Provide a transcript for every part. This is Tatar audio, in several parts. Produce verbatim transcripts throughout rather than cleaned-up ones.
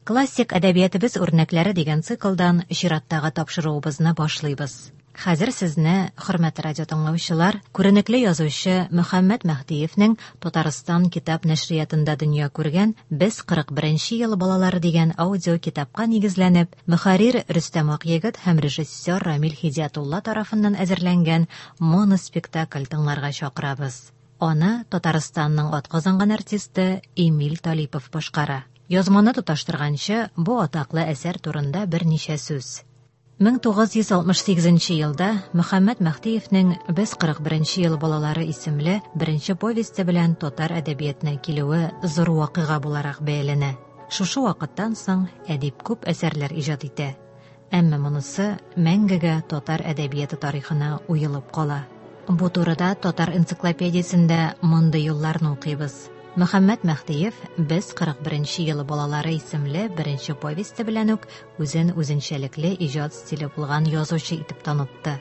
Классик әдәбиятыбыз үрнәкләре дигән циклдан чираттагы тапшыруыбызны башлыйбыз. Хәзер сезне, хөрмәтле радио тыңлаучылар, күренекле язучы Мөхәммәт Мәһдиевнең Татарстан китап нәшриятында дөнья күргән Без кырык беренче ел балалары дигән аудио китапка нигезләнеп, мөхәррир Рөстәм Акъегет һәм режиссер Рамил Һидиятулла тарафыннан әзерләнгән моноспектакль тыңларга чакырабыз. Аны Татарстанның атказанган артисты Эмиль Талипов башкара. Язманы тоташтырганчы, бу атаклы әсәр турында берничә сүз. мең тугыз йөз алтмыш сигезенче елда Мөхәммәт Мәһдиевнең Без кырык беренче ел балалары исемле беренче повесте белән татар әдәбиятына килүе зур вакыйга буларак бәяләнә. Шушы вакыттан соң әдип күп әсәрләр иҗат итә. Әмма монысы мәңгегә татар әдәбияты тарихына уелып кала. Бу турыда татар энциклопедиясендә мондый юлларны укыйбыз. Мөхәммәт Мәһдиев Без кырык беренче ел балалары исемле беренче повесте белән үк үзен үзенчәлекле иҗат стиле булган язучы итеп танытты.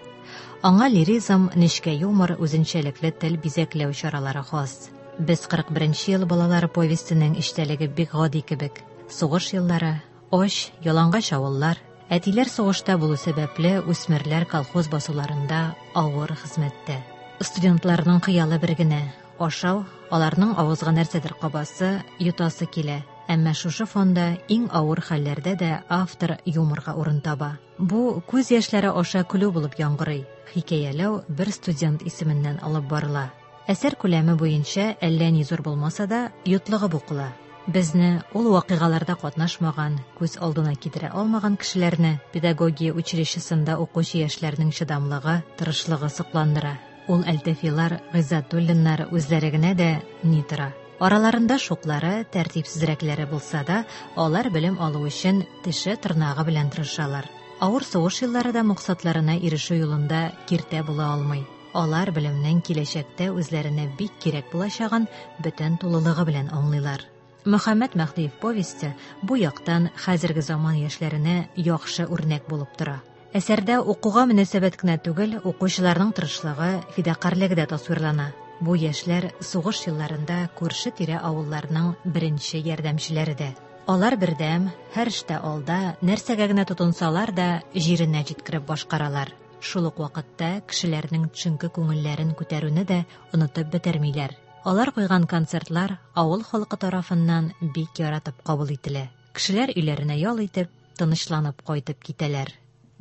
Аңа лиризм, нечкә юмор, үзенчәлекле тел бизәкләү чаралары хас. Без кырык беренче ел балалары повестенең эчтәлеге бик гади кебек. Сугыш еллары, ач, ялангач авыллар, әтиләр сугышта булу сәбәпле үсмерләр колхоз басуларында авыр хезмәттә. Студентларның хыялы бер генә ашау, аларның авызга нәрсәдер кабасы, йотасы килә. Әмма шушы фонда иң авыр хәлләрдә дә автор юморга урын таба. Бу күз яшьләре аша көлү булып яңгырый. Хикәяләү бер студент исеменнән алып барыла. Әсәр күләме буенча әллә ни зур булмаса да, йотлыгып укыла. Безне ул вакыйгаларда катнашмаган, күз алдына китерә алмаган кешеләрне педагогия училищесында укучы яшьләрнең чыдамлыгы, тырышлыгы сокландыра. Ул Әлтәфилар, Гыйззәтуллиннар үзләре генә дә ни тора. Араларында шуклары, тәртипсезрәкләре булса да, алар белем алу өчен теше тырнагы белән тырышалар. Авыр сугыш еллары да максатларына ирешү юлында киртә була алмый. Алар белемнең киләчәктә үзләренә бик кирәк булачагын бөтен тулылыгы белән аңлыйлар. Мөхәммәт Мәһдиев повесте бу яктан хәзерге заман яшьләренә яхшы үрнәк булып тора. Әсәрдә укуга мөнәсәбәт кенә түгел, укучыларның тырышлыгы, фидакарьлеге дә тасвирлана. Бу яшьләр сугыш елларында күрше-тирә авылларның беренче ярдәмчеләре дә. Алар бердәм, һәр эштә алда, нәрсәгә генә тотынсалар да, җиренә җиткереп башкаралар. Шул ук вакытта кешеләрнең төшенке күңелләрен күтәрүне дә онытып бетермиләр. Алар куйган концертлар авыл халкы тарафыннан бик яратып кабул ителә. Кешеләр өйләренә ял итеп, тынычланып кайтып китәләр.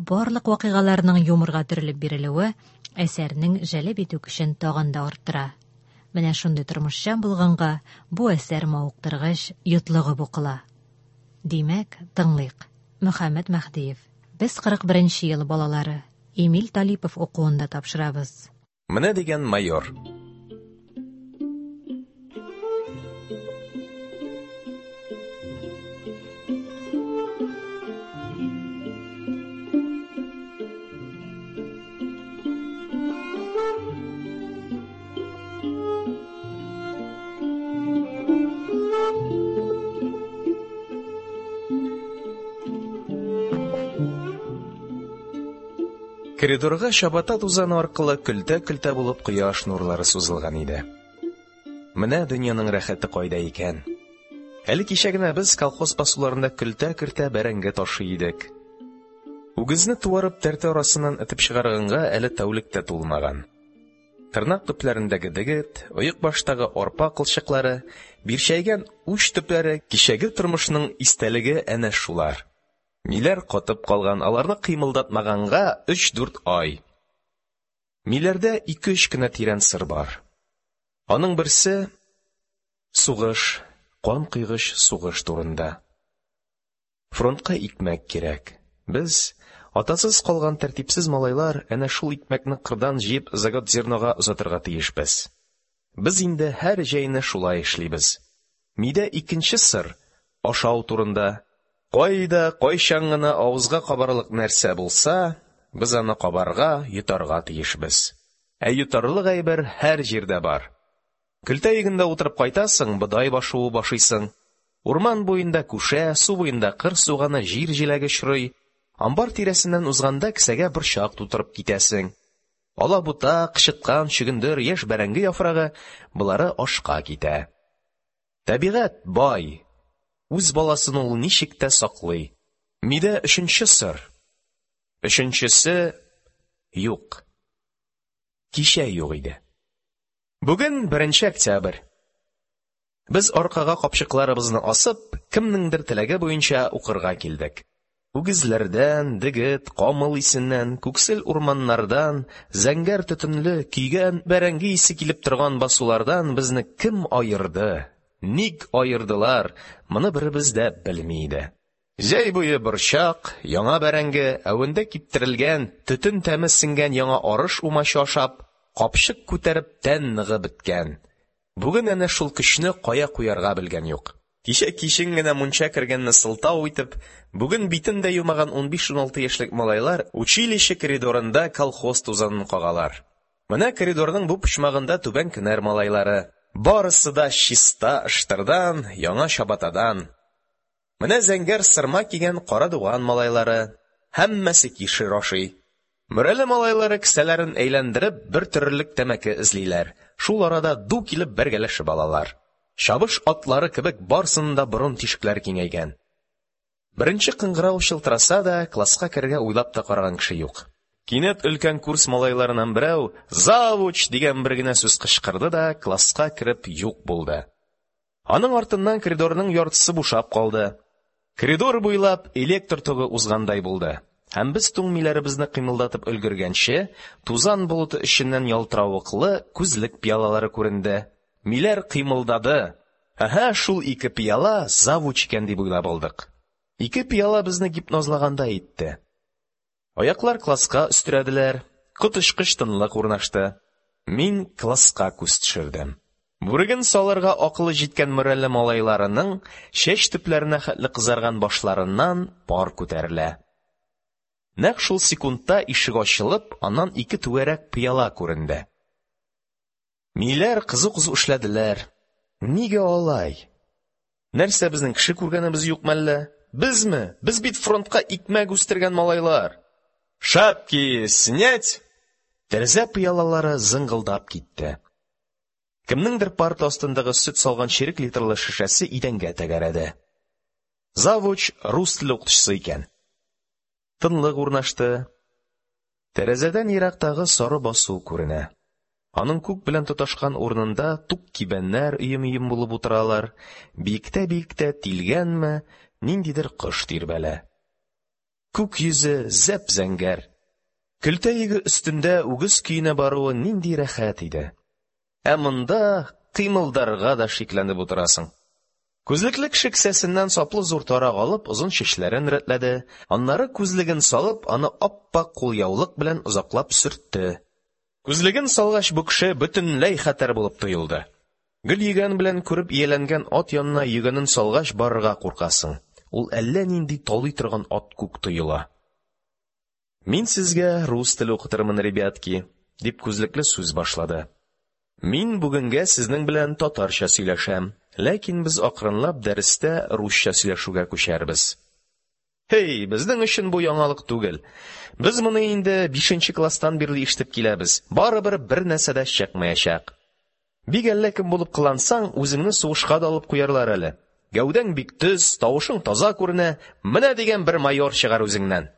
Барлык вакыйгаларның юморга төрелеп бирелүе әсәрнең җәлеп итү көчен тагын да арттыра. Менә шундый тормышчан булганга бу әсәр мавыктыргыч, йотлыгып укыла. Димәк, тыңлыйк. Мөхәммәт Мәһдиев. Без кырык беренче ел балалары. Эмиль Талипов укуында тапшырабыз. Менә дигән майор. Коридорга чабата тузаны аркылы көлтә-көлтә булып кояш нурлары сузылган иде. Менә дөньяның рәхәте кайда икән. Әле кичә генә без колхоз басуларында көлтә-көлтә бәрәңге ташый идек. Үгезне туарып тәртә арасыннан этеп чыгарганга әле тәүлек тә тулмаган. Тырнак төпләрендәге дегет, оек баштагы арпа кылчыклары, бирчәйгән уч төпләре, кичәге тормышның истәлеге әнә шулар. Миләр катып калган, аларны кыймылдатмаганга өч-дүрт ай. Миләрдә ике-өч кенә тирән сыр бар. Аның берсе сугыш, кан койгыч сугыш турында. Фронтка икмәк кирәк. Без, атасыз калган тәртипсез малайлар, әнә шул икмәкне кырдан җыеп заготзернога озатырга тиешбез. Без инде һәр җәйне шулай эшлибез. Мидә икенче сыр ашау турында. Кайда, кайчан гына авызга кабарлык нәрсә булса, без аны кабарга, йотарга тиешбез. Ә йотарлык әйбер һәр җирдә бар. Көлтә йөгендә утырып кайтасың, бодай башуы башыйсың. Урман буенда күшә, су буенда кыр суганы, җир җиләге очрый. Амбар тирәсеннән узганда кесәгә борчак тутырып китәсең. Алабута, кычыткан, чөгендер, яшь бәрәңге яфрагы болары ашка китә. Табигать бай. Үз баласын ул ничек тә саклый. Мидә өченче сыр. Өченчесе юк. Кичә юк иде. Бүген беренче октябрь. Без аркага капчыкларыбызны асып, кемнеңдер теләге буенча укырга килдек. Үгезләрдән, дегет, камыл исеннән, күксел урманнардан, зәңгәр төтенле, көйгән бәрәңге исе килеп торган басулардан безне кем аерды, ник аердылар, моны беребез дә белми иде. Җәй буе борчак, яңа бәрәңге, әвендә киптерелгән, төтен тәме сеңгән яңа арыш умачы ашап, капчык күтәреп тән ныгып беткән. Бүген әнә шул көчне кая куярга белгән юк. Кичә кичен генә мунча кергәнне сылтау итеп, бүген битен дә юмаган унбиш-уналты яшьлек малайлар училище коридорында колхоз тузанын кагалар. Менә коридорның бу почмагында Түбән Кенәр малайлары. Барысы да чиста ыштырдан, яңа чабатадан. Менә зәңгәр сырма кигән Карадуган малайлары. Һәммәсе кишер ашый. Мөрәле малайлары кесәләрен әйләндереп бер төрлек тәмәке эзлиләр. Шул арада ду килеп бәргәләшеп алалар. Чабыш атлары кебек барысының да борын тишекләре киңәйгән. Беренче кыңгырау чылтыраса да, класска керергә уйлап та караган кеше юк. Кинәт өлкән курс малайларыннан берәү «Завуч!» дигән бер генә сүз кычкырды да класска кереп юк булды. Аның артыннан коридорның яртысы бушап калды. Коридор буйлап электр тогы узгандай булды. Һәм без туң миләребезне кыймылдатып өлгергәнче, тузан болыты эченнән ялтыравыклы күзлек пиалалары күренде. Миләр кыймылдады. Әһә, шул ике пиала завуч икән дип уйлап алдык. Ике пиала безне гипнозлагандай итте. Аяклар класска өстерәделәр. Коточкыч тынлык урнашты. Мин класска күз төшердем. Бүреген салырга акылы җиткән Мөрәле малайларының чәч төпләренә хәтле кызарган башларыннан пар күтәрелә. Нәкъ шул секундта ишек ачылып, аннан ике түгәрәк пыяла күренде. Миләр кызу-кызу эшләделәр. Нигә алай? Нәрсә, безнең кеше күргәнебез юк мәллә? Безме? Без бит фронтка икмәк үстергән малайлар. Шапки снять! Тәрәзә пыялалары зыңгылдап китте. Кемнеңдер парта астындагы сөт салган чирек литрлы шешәсе идәнгә тәгәрәде. Завуч рус теле укытучысы икән. Тынлык урнашты. Тәрәзәдән ерактагы сары басу күренә. Аның күк белән тоташкан урынында тук кибәннәр өем-өем булып утыралар. Биектә-биектә тилгәнме, ниндидер кош тирбәлә. Күк йөзе зәп-зәңгәр. Көлтә йөге өстендә үгез көенә баруы нинди рәхәт иде. Ә монда кыймылдарга да шикләнеп утырасың. Күзлекле кеше кесәсеннән саплы зур тарак алып, озын чәчләрен рәтләде. Аннары күзлеген салып, аны ап-ак кулъяулык белән озаклап сөртте. Күзлеген салгач, бу кеше бөтенләй хәтәр булып тоелды. Гөл йөгән белән күреп ияләнгән ат янына йөгәнен салгач барырга куркасың. Ул әллә нинди талый торган ат күк тоела. Мин сезгә рус теле укытырмын, ребятки, дип күзлекле сүз башлады. Мин бүгенгә сезнең белән татарча сөйләшәм, ләкин без акрынлап дәрестә русча сөйләшүгә күчәрбез. Һей, безнең өчен бу яңалык түгел. Без моны инде бишенче класстан бирле ишетеп киләбез. Барыбер бер нәрсә дә чыкмаячак. Бик әллә кем булып кылансаң, үзеңне сугышка да алып куярлар әле. Гәүдәң бик төз, тавышың таза күренә, менә дигән бер майор чыгар үзеңнән.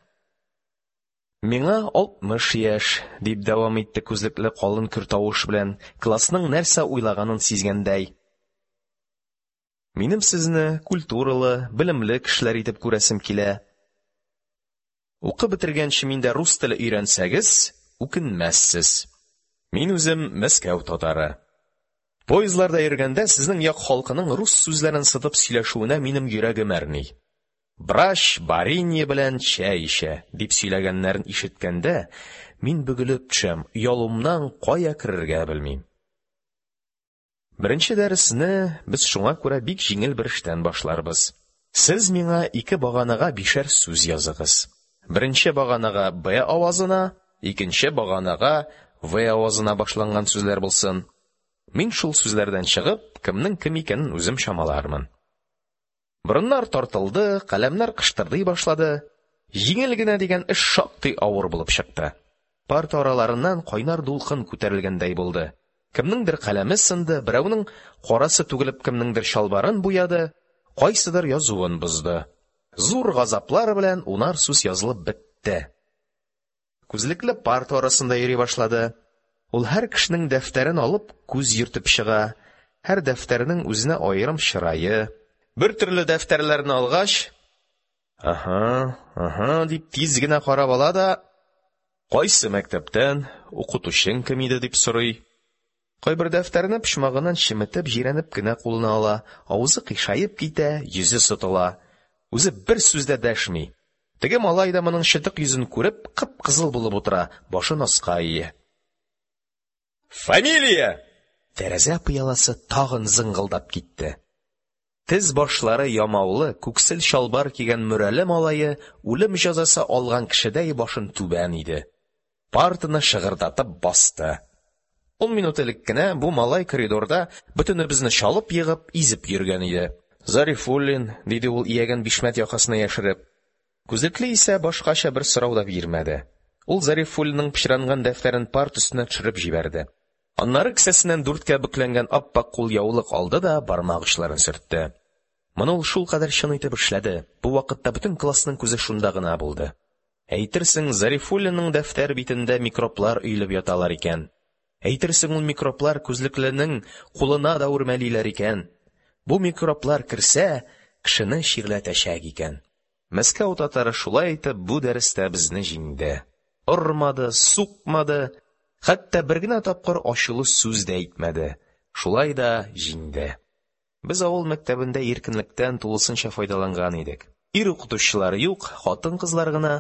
Миңа алтмыш яшь, дип дәвам итте күзлекле калын көр тавыш белән, классның нәрсә уйлаганын сизгәндәй. Минем сезне культуралы, белемле кешеләр итеп күрәсем килә. Укып бетергәнче миндә рус теле өйрәнсәгез, үкенмәссез. Мин үзем Мәскәү татары. Поездларда йөргәндә сезнең як халкының рус сүзләрен сытып сөйләшүенә минем йөрәгем әрни. Брач баринья белән чәй эчә, дип сөйләгәннәрен ишеткәндә, мин бөгелеп төшәм, оялуымнан кая керергә белмим. Беренче дәресне без шуңа күрә бик җиңел бер эштән башларбыз. Сез миңа ике баганага бишәр сүз языгыз. Беренче баганага Б авазына, икенче баганага В авазына башланган сүзләр булсын. Мин шул сүзләрдән чыгып, кемнең кем икәнен үзем чамалармын. Борыннар тартылды, каләмнәр кыштырдый башлады. Җиңел генә дигән эш шактый авыр булып чыкты. Парта араларыннан кайнар дулкын күтәрелгәндәй булды. Кемнеңдер каләме сынды, берәүнең карасы түгелеп кемнеңдер чалбарын буяды. Кайсыдыр язуын бозды. Зур газаплар белән унар сүз язылып бетте. Күзлекле парта арасында йөри башлады. Ул һәр кешенең дәфтәрен алып күз йөртеп чыга. Һәр дәфтәрнең үзенә аерым чырае. Бер төрле дәфтәрләрне алгач, «Аһа, аһа» дип тиз генә карап ала да, «Кайсы мәктәптән, укытучың кем иде?» дип сорый. Кайбер дәфтәрне почмагыннан чеметеп, җирәнеп кенә кулына ала, авызы кыйшаеп китә, йөзе сытыла. Үзе бер сүз дә дәшми. Теге малай да моның чытык йөзен күреп, кып-кызыл булып утыра, башын аска ия. «Фамилия!» Тәрәзә пыяласы тагын зыңгылдап китте. Тез башлары ямаулы, күксел чалбар кигән Мөрәле малае үлем җәзасы алган кешедәй башын түбән иде. Партаны шыгырдатып басты. Ун минут элек кенә бу малай коридорда бөтенебезне чалып егып, изеп йөргән иде. «Зарифуллин», – диде ул ияген бишмәт якасына яшереп. Күзлекле исә башкача бер сорау да бирмәде. Ул Зарифуллинның пычранган дәфтәрен парта өстенә төшереп җибәрде. Аннары кесәсеннән дүрткә бөкләнгән ап-ак кулъяулык алды да бармак очларын сөртте. Моны ул шулкадәр чын итеп эшләде. Бу вакытта бөтен классның күзе шунда гына булды. Әйтерсең, Зарифуллинның дәфтәр битендә микроблар өелеп яталар икән. Әйтерсең, ул микроблар күзлекленең кулына да үрмәлиләр икән. Бу микроблар керсә, кешене чирләтәчәк икән. Мәскәү татары шулай итеп бу дәрестә безне җиңде. Ормады, сукмады, хәтта бер генә тапкыр ачулы сүз дә әйтмәде. Шулай да җиңде. Без авыл мәктәбендә иркенлектән тулысынча файдаланган идек. Ир укытучылар юк, хатын-кызлар гына.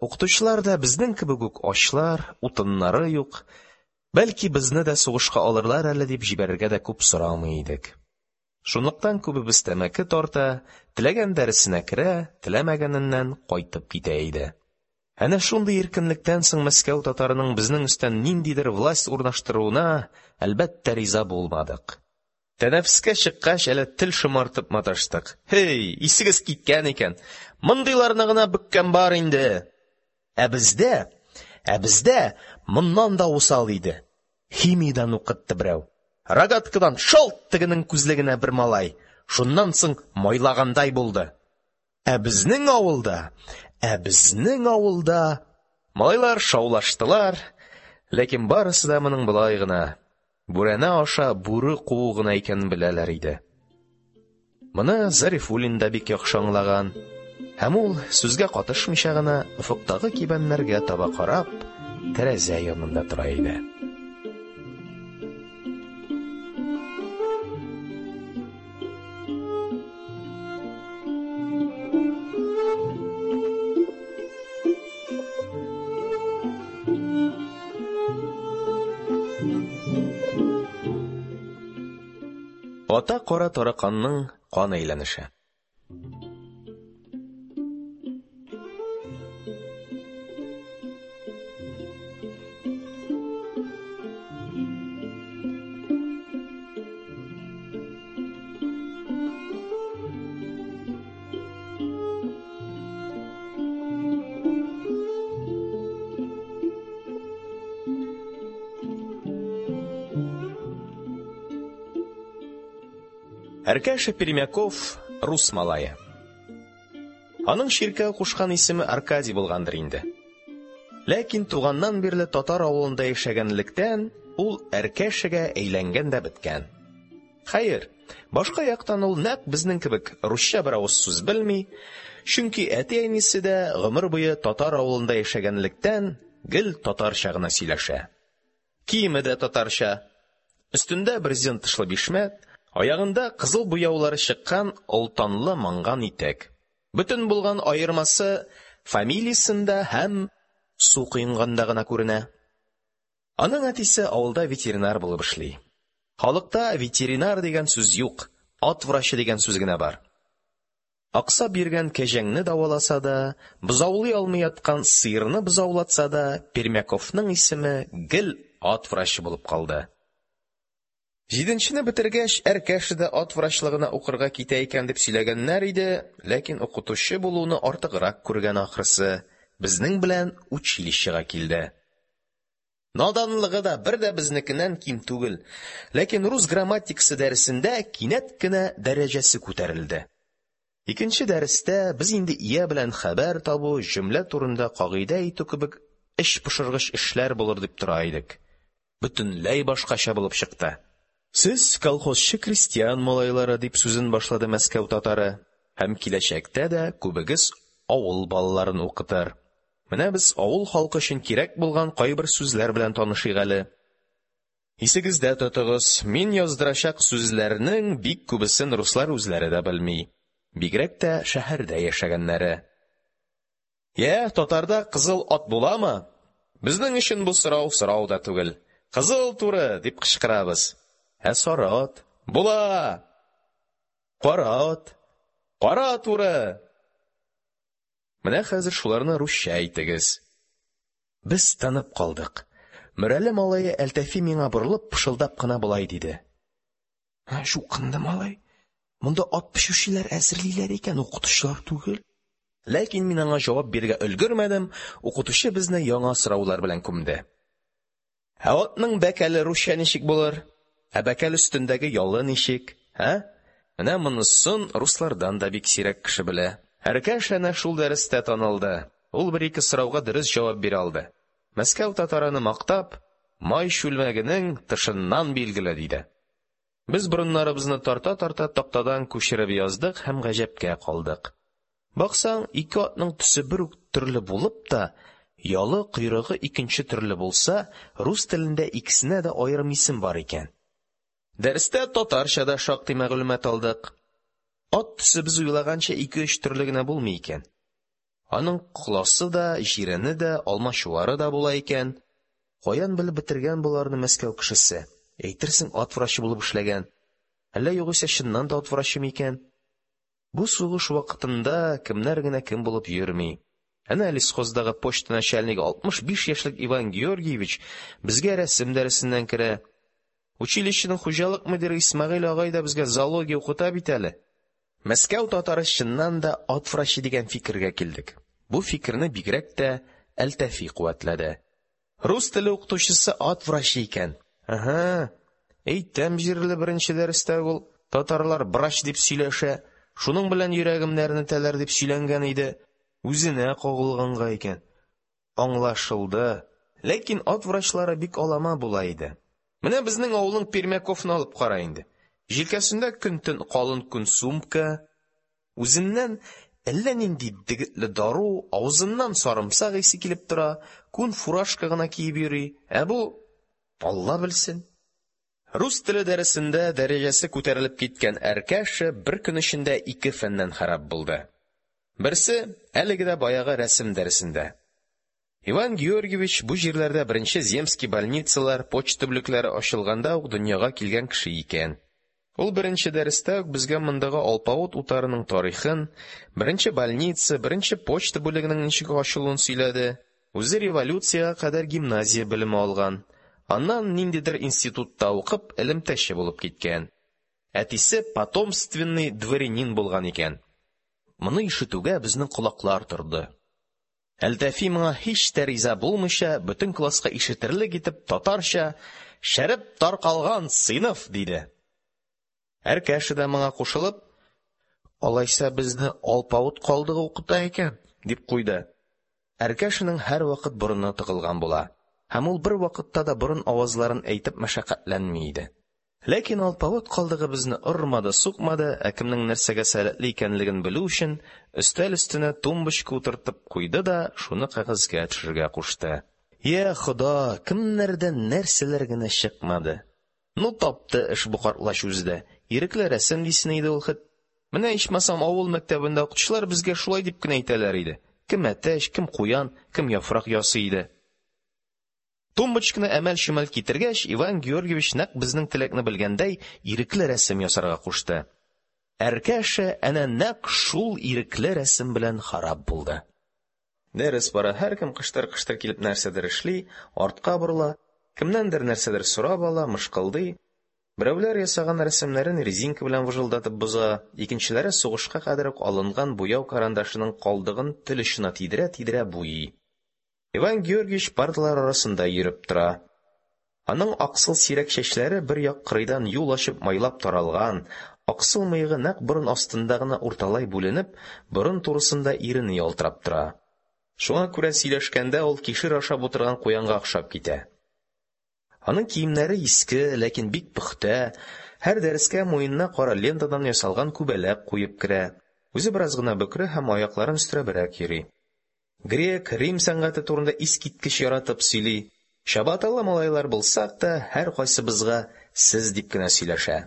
Укытучылар да безнең кебек үк ачлар, утыннары юк. Бәлки безне дә сугышка алырлар әле дип җибәрергә дә күп сорамый идек. Шунлыктан күбебез тәмәке тарта, теләгән дәресенә керә, теләмәгәненнән кайтып китә иде. Әнә шундый иркенлектән соң Мәскәү татарының безнең өстән ниндидер власть урнаштыруына, әлбәттә, риза булмадык. Тәнәфескә чыккач, әле тел шомартып маташтык. «Һей, исегез киткән икән, мондыйларны гына бөккән бар инде!» Ә бездә, ә бездә моннан да усал иде. Химиядән укытты берәү. Рогаткадан шалт тегенең күзлегенә бер малай. Шуннан соң майлагандай булды. Ә безнең авылда, ә безнең авылда малайлар шаулаштылар, ләкин барысы да моның болай гына, бүрәнә аша бүре куу гына икәнен беләләр иде. Моны Зарифуллин да бик яхшы аңлаган. Һәм ул, сүзгә катышмыйча гына, офыктагы кибәннәргә таба карап, тәрәзә янында тора иде. Ата кара тараканның кан әйләнеше. Әркәшә Пермяков – рус малае. Аның чиркәү кушкан исеме Аркадий булгандыр инде. Ләкин туганнан бирле татар авылында яшәгәнлектән ул Әркәшәгә әйләнгән дә беткән. Хәер, башка яктан ул нәкъ безнең кебек русча бер авыз сүз белми, чөнки әти-әнисе дә гомер буе татар авылында яшәгәнлектән гел татарча гына сөйләшә. Киеме дә татарча. Өстендә брезент тышлы бишмәт, аягында кызыл буяулары чыккан олтанлы манган итек. Бөтен булган аермасы фамилиясендә һәм су коенганда гына күренә. Аның әтисе авылда ветеринар булып эшли. Халыкта ветеринар дигән сүз юк, ат врачы дигән сүз генә бар. Аксап йөргән кәҗәңне дәваласа да, бозаулый алмый яткан сыерны бозаулатса да, Пермяковның исеме гел ат врачы булып калды. Җиденчене бетергәч, Әркәшә дә ат врачлыгына укырга китә икән дип сөйләгәннәр иде, ләкин укытучы булуны артыграк күргән ахрысы, безнең белән училищега килде. Наданлыгы да бер дә безнекеннән ким түгел, ләкин рус грамматикасы дәресендә кинәт кенә дәрәҗәсе күтәрелде. Икенче дәрестә без инде ия белән хәбәр табу, җөмлә турында кагыйдә әйтү кебек эчпошыргыч эшләр булыр дип тора идек. Бөтенләй башкача булып чыкты. Сез колхозчы крестьян малайлары, дип сүзен башлады Мәскәү татары, һәм киләчәктә дә күбегез авыл балаларын укытыр. Менә без авыл халкы өчен кирәк булган кайбер сүзләр белән танышыйк әле. Исегездә тотыгыз, мин яздырачак сүзләрнең бик күбесен руслар үзләре дә белми. Бигрәк тә шәһәрдә яшәгәннәре. Йә, татарда кызыл ат буламы? Безнең өчен бу сорау сорау да түгел. Кызыл туры дип кычкырабыз. Ә сары ат? Була! Кара ат? Кара туры! Менә хәзер шуларны русча әйтегез. Без тынып калдык. Мөрәле малае Әлтафи миңа борылып, пышылдап кына болай диде. Чукынды малай. Монда ат печүчеләр әзерлиләр икән, укытучылар түгел. Ләкин мин аңа җавап бирергә өлгермәдем, укытучы безне яңа сораулар белән күмде. Ә атның бәкәле русча ничек булыр? Ә бәкәл өстендәге ялы ничек? Ә? Менә монысын руслардан да бик сирәк кеше белә. Әркәш әнә шул дәрестә танылды. Ул бер-ике сорауга дөрес җавап бирә алды. Мәскәү татараны мактап, май чүлмәгенең тышыннан билгеле, диде. Без борыннарыбызны тарта-тарта тактадан күчереп яздык һәм гаҗәпкә калдык. Баксаң, ике атның төсе бер үк төрле булып та, ялы, койрыгы икенче төрле булса, рус телендә икесенә дә аерым исем бар икән. Дәрестә татарча да шактый мәгълүмат алдык. Ат төсе без уйлаганча ике-өч төрле генә булмый икән. Аның коласы да, җирене дә, алмачуары да була икән. Каян белеп бетергән боларны Мәскәү кешесе? Әйтерсең, ат врачы булып эшләгән. Әллә югыйсә чыннан да ат врачы микән? Бу сугыш вакытында кемнәр генә кем булып йөрми. Әнә лесхоздагы почта начальнигы алтмыш биш яшьлек Иван Георгиевич безгә рәсем дәресеннән керә. Училищеның хуҗалык мөдире Исмәгыйль агай да безгә зоология укыта бит әле. Мәскәү татары чыннан да ат врачы дигән фикергә килдек. Бу фикерне бигрәк тә Әлтафи куәтләде. Рус теле укытучысы ат врачы икән. Аһа, әйтәм җирле беренче дәрестә ул татарлар врач дип сөйләшә, шуның белән йөрәгемне әрнетәләр дип сөйләнгән иде. Үзенә кагылганга икән. Аңлашылды. Ләкин ат врачлары бик алама була иде. Менә безнең авылның Пермяковны алып кара инде. Җилкәсендә көн-төн калын күн сумка, үзеннән әллә нинди дегетле дару, авызыннан сарымсак исе килеп тора, күн фуражка гына киеп йөри. Ә бу Алла белсен. Рус теле дәресендә дәрәҗәсе күтәрелеп киткән Әркәшә бер көн эчендә ике фәннән харап булды. Берсе әлеге дә баягы рәсем дәресендә. Иван Георгиевич бу җирләрдә беренче земский больницалар, почта бүлекләре ачылганда ук дөньяга килгән кеше икән. Ул беренче дәрестә үк безгә мондагы алпавыт утарының тарихын, беренче больница, беренче почта бүлегенең ничек ачылуын сөйләде. Үзе революциягә кадәр гимназия белеме алган. Аннан ниндидер институтта укып, элемтәче булып киткән. Әтисе потомственный дворянин булган икән. Моны ишетүгә безнең колаклар торды. Әлтафи моңа һич тә риза булмыйча, бөтен класска ишетерлек итеп татарча «Шәреп таркалган сыйныф» диде. Әркәшә дә моңа кушылып, «Алайса безне алпавыт калдыгы укыта икән» дип куйды. Әркәшәнең һәрвакыт борыны тыгылган була. Һәм ул бер вакытта да борын авазларын әйтеп мәшәкатьләнми иде. Ләкин алпавыт калдыгы безне ормады, сукмады, ә кемнең нәрсәгә сәләтле икәнлеген белү өчен өстәл өстенә тумбочка утыртып куйды да шуны кәгазьгә төшерергә кушты. Йә Хода, кемнәрдән нәрсәләр генә чыкмады. Ну тапты эш бу картлач үзе дә. Ирекле рәсем дисен иде ул хет. Менә ичмасам авыл мәктәбендә укытучылар безгә шулай дип кенә әйтәләр иде. Кем әтәч, кем куян, кем яфрак ясый иде. Тумбочканы әмәл-чөмәл китергәч, Иван Георгиевич нәкъ безнең теләкне белгәндәй ирекле рәсем ясарга кушты. Әркәшә әнә нәкъ шул ирекле рәсем белән харап булды. Дәрес бара, һәркем кыштыр-кыштыр килеп нәрсәдер эшли, артка борыла, кемнәндер нәрсәдер сорап ала, мышкылдый. Берәүләр ясаган рәсемнәрен резинка белән выжылдатып боза, икенчеләре сугышка кадәр үк алынган буяу карандашының калдыгын тел очына тидерә-тидерә буйый. Иван Георгиевич парталар арасында йөреп тора. Аның аксыл сирәк чәчләре бер як кырыйдан юл ачып майлап таралган, Аксыл мыегы нәкъ борын астында гына урталай бүленеп, борын турысында ирене ялтырап тора. Шуңа күрә сөйләшкәндә ул кишер ашап утырган куянга охшап китә. Аның киемнәре иске, ләкин бик пөхтә, һәр дәрескә муенына кара лентадан ясалган күбәләк куеп керә. Үзе бераз гына бөкре һәм аякларын өстерәбрәк йөри. Грек, Рим сәнгате турында искиткеч яратып сөйли. Чабаталы малайлар булсак та, һәркайсыбызга «сез» дип кенә сөйләшә.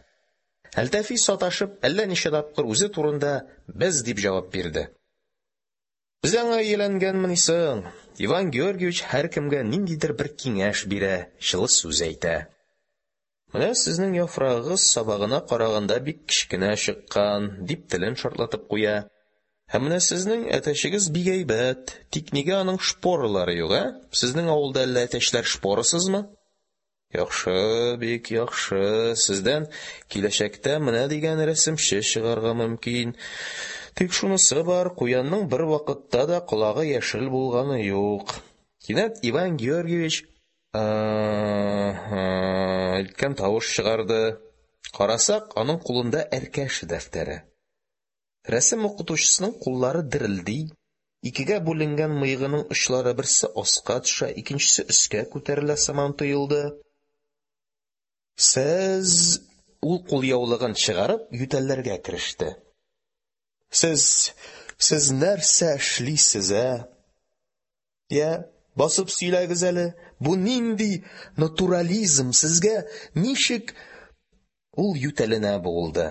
Әлтафи, саташып, әллә ничә тапкыр үзе турында «без» дип җавап бирде. Без аңа ияләнгәнмени соң? Иван Георгиевич һәркемгә ниндидер бер киңәш бирә, җылы сүз әйтә. Менә сезнең яфрагыгыз сабагына караганда бик кечкенә чыккан, дип телен шартлатып куя. Ә менә сезнең әтәчегез бик әйбәт, тик нигә аның шпоралары юк, ә? Сезнең авылда әллә әтәчләр шпорасызмы? Яхшы, бик яхшы. Сездән киләчәктә менә дигән рәсемче чыгарга мөмкин. Тик шунысы бар, куянның бер вакытта да колагы яшел булганы юк. Кинәт Иван Георгиевич әйткән тавыш чыгарды. Карасак, аның кулында Әркәшә дәфтәре. Рәсем укытучысының куллары дерелди, икегә бүленгән мыегының очлары берсе аска төшә, икенчесе өскә күтәрелә сыман тоелды. Сез... Ул кулъяулыгын чыгарып ютәлләргә кереште. Сез... Сез нәрсә эшлисез, ә? Я, басып сөйләгез әле, бу нинди натурализм, сезгә ничек... Ул ютәленә буылды.